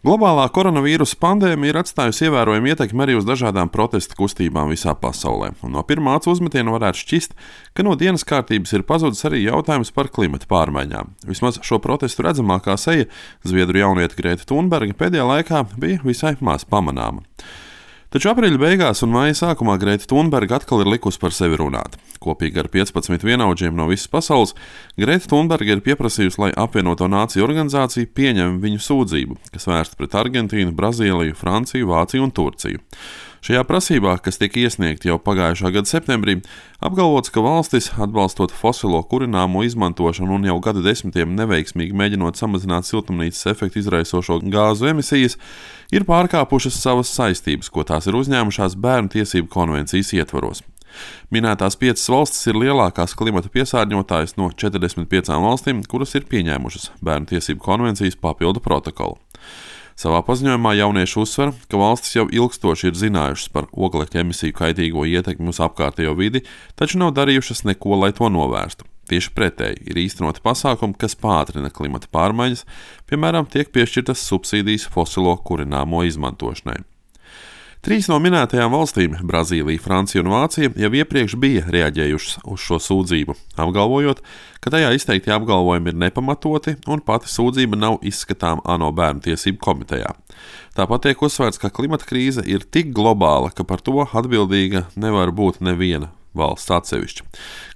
Globālā koronavīrusa pandēmija ir atstājusi ievērojumu ietekmi arī uz dažādām protesta kustībām visā pasaulē. Un no pirmā acu uzmetiena varētu šķist, ka no dienas kārtības ir pazudis arī jautājums par klimata pārmaiņām. Vismaz šo protestu redzamākā seja, zviedru jauniete Grēta Thunberga, pēdējā laikā bija visai maz pamanāma. Taču aprīļa beigās un maija sākumā Grēta Thunberga atkal ir likusi par sevi runāt. Kopīgi ar 15 vienaudžiem no visas pasaules, Grēta Thunberga ir pieprasījusi, lai apvienoto nāciju organizācija pieņem viņu sūdzību, kas vērsta pret Argentīnu, Brazīliju, Franciju, Vāciju un Turciju. Šajā prasībā, kas tika iesniegta jau pagājušā gada septembrī, apgalvots, ka valstis, atbalstot fosilo kurināmo izmantošanu un jau gadu desmitiem neveiksmīgi mēģinot samazināt siltumnīcas efektu izraisošo gāzu emisijas, ir pārkāpušas savas saistības, ko tās ir uzņēmušās Bērnu tiesību konvencijas ietvaros. Minētās 5 valstis ir lielākās klimata piesārņotājas no 45 valstīm, kuras ir pieņēmušas Bērnu tiesību konvencijas papildu protokolu. Savā paziņojumā jaunieši uzsver, ka valstis jau ilgstoši ir zinājušas par oglekļa emisiju kaitīgo ietekmi uz apkārtējo vidi, taču nav darījušas neko, lai to novērstu. Tieši pretēji ir īstenoti pasākumi, kas pātrina klimata pārmaiņas, piemēram, tiek piešķirtas subsīdijas fosilo kurināmo izmantošanai. 3 no minētajām valstīm – Brazīlija, Francija un Vācija – jau iepriekš bija reaģējušas uz šo sūdzību, apgalvojot, ka tajā izteiktie apgalvojumi ir nepamatoti un pati sūdzība nav izskatām ANO Bērnu tiesību komitejā. Tāpat tiek uzsvērts, ka klimata krīze ir tik globāla, ka par to atbildīga nevar būt neviena valsts atsevišķi.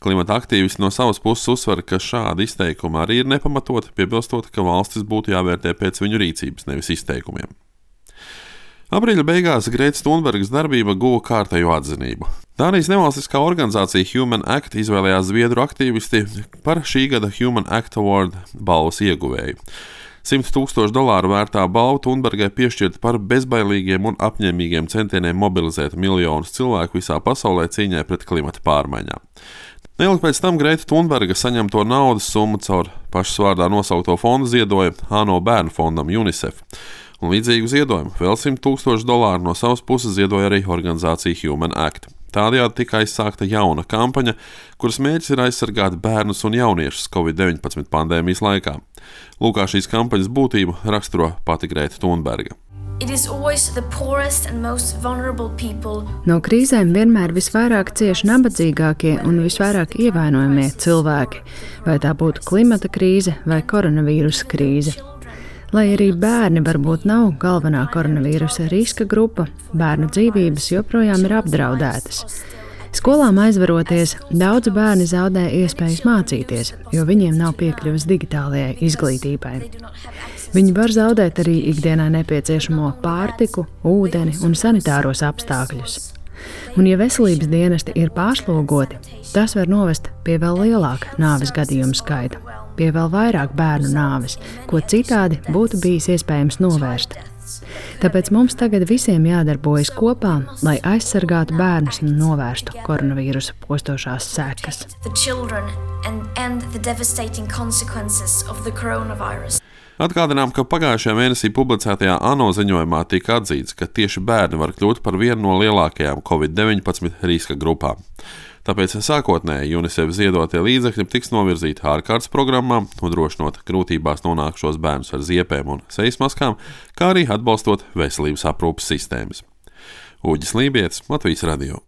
Klimata aktīvisti no savas puses uzsver, ka šādi izteikumi arī ir nepamatoti, piebilstot, ka valstis būtu jāvērtē pēc viņu rīcības, nevis izteikumiem. Aprīļa beigās Grētas Thunbergas darbība guva kārtējo atzinību. Dānijas nevalstiskā organizācija Human Act izvēlējās zviedru aktīvisti par šī gada Human Act Award balvas ieguvēju. $100,000 vērtā balva Thunbergai piešķirta par bezbailīgiem un apņēmīgiem centieniem mobilizēt miljonus cilvēku visā pasaulē cīņai pret klimata pārmaiņām. Neilgi pēc tam Grēta Thunberga saņemto naudas summu caur pašas vārdā nosaukto fondu ziedoja ANO bērnu fondam UNICEF. Un līdzīgu ziedojumu vēl $100,000 no savas puses ziedoja arī organizācija Human Act. Tādējādi tika aizsākta jauna kampaņa, kuras mērķis ir aizsargāt bērnus un jauniešus Covid-19 pandēmijas laikā. Lūk, kā šīs kampaņas būtību raksturo pati Grēta Thunberga. No krīzēm vienmēr visvairāk cieši nabadzīgākie un visvairāk ievainojamie cilvēki, vai tā būtu klimata krīze vai koronavīrusa krīze. Lai arī bērni varbūt nav galvenā koronavīrusa riska grupa, bērnu dzīvības joprojām ir apdraudētas. Skolām aizveroties, daudzi bērni zaudē iespējas mācīties, jo viņiem nav piekļuves digitālajai izglītībai. Viņi var zaudēt arī ikdienā nepieciešamo pārtiku, ūdeni un sanitāros apstākļus. Un ja veselības dienesti ir pārslogoti, tas var novest pie vēl lielāka nāves gadījumu skaita, pie vēl vairāk bērnu nāves, ko citādi būtu bijis iespējams novērst. Tāpēc mums tagad visiem jādarbojas kopā, lai aizsargātu bērnus un novērstu koronavīrusa postošās sekas. Atgādinām, ka pagājušajā mēnesī publicētajā ANO ziņojumā tika atzīts, ka tieši bērni var kļūt par vienu no lielākajām Covid-19 riska grupām. Tāpēc sākotnēji UNICEF ziedotie līdzekļi tiks novirzīti ārkārtas programmām, nodrošinot grūtībās nonākušos bērnus ar ziepēm un sejas maskām, kā arī atbalstot veselības aprūpes sistēmas. Uģis Lībietis, Latvijas radio.